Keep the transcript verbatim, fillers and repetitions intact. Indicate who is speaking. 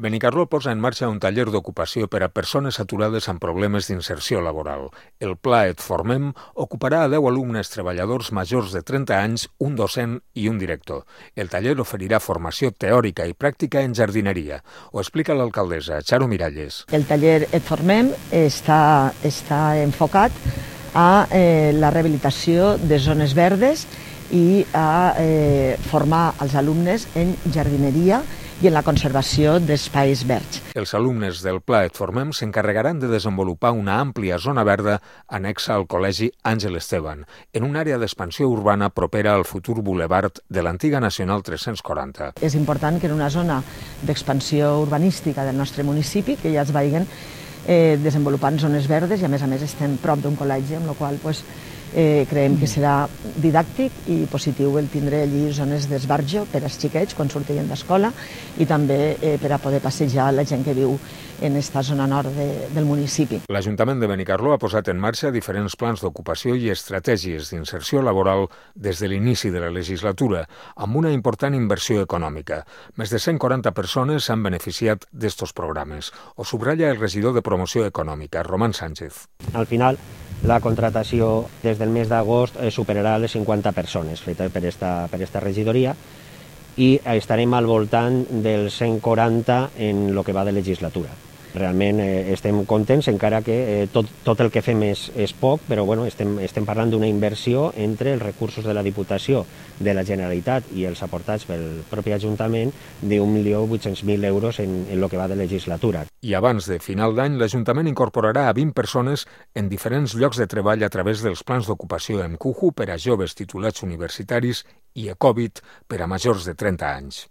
Speaker 1: Benicarló posa en marxa un taller d'ocupació per a persones aturades amb problemes d'inserció laboral. El pla Et Formem ocuparà a deu alumnes treballadors majors de trenta anys, un docent i un director. El taller oferirà formació teòrica i pràctica en jardineria. Ho explica l'alcaldessa, Charo Miralles.
Speaker 2: El taller Et Formem està, està enfocat a eh, la rehabilitació de zones verdes i a eh, formar els alumnes en jardineria i en la conservació d'espais verds.
Speaker 1: Els alumnes del Pla Et Formem s'encarregaran de desenvolupar una àmplia zona verda anexa al Col·legi Àngel Esteban, en una àrea d'expansió urbana propera al futur bulevard de l'antiga Nacional tres-cents quaranta.
Speaker 2: És important que en una zona d'expansió urbanística del nostre municipi que ja es vagin eh, desenvolupant zones verdes i a més a més estem prop d'un col·legi, amb la qual cosa Eh, creiem que serà didàctic i positiu el tindre allí zones d'esbarjo per als xiquets quan surtin d'escola i també eh, per a poder passejar la gent que viu en esta zona nord de, del municipi.
Speaker 1: L'Ajuntament de Benicarló ha posat en marxa diferents plans d'ocupació i estratègies d'inserció laboral des de l'inici de la legislatura, amb una important inversió econòmica. Més de cent quaranta persones s'han beneficiat d'estos programes. Ho subratlla el regidor de Promoció Econòmica, Román Sánchez.
Speaker 3: Al final, la contratació des del mes d'agost superarà les cinquanta persones fetes per esta, per esta regidoria i estarem al voltant dels cent quaranta en el que va de legislatura. Realment eh, estem contents, encara que eh, tot, tot el que fem és, és poc, però bueno, estem, estem parlant d'una inversió entre els recursos de la Diputació, de la Generalitat i els aportats pel propi Ajuntament d'un milió vuit-cents mil euros en, en el que va de legislatura.
Speaker 1: I abans de final d'any, l'Ajuntament incorporarà a vint persones en diferents llocs de treball a través dels plans d'ocupació M C U J U per a joves titulats universitaris i Ecovit per a majors de trenta anys.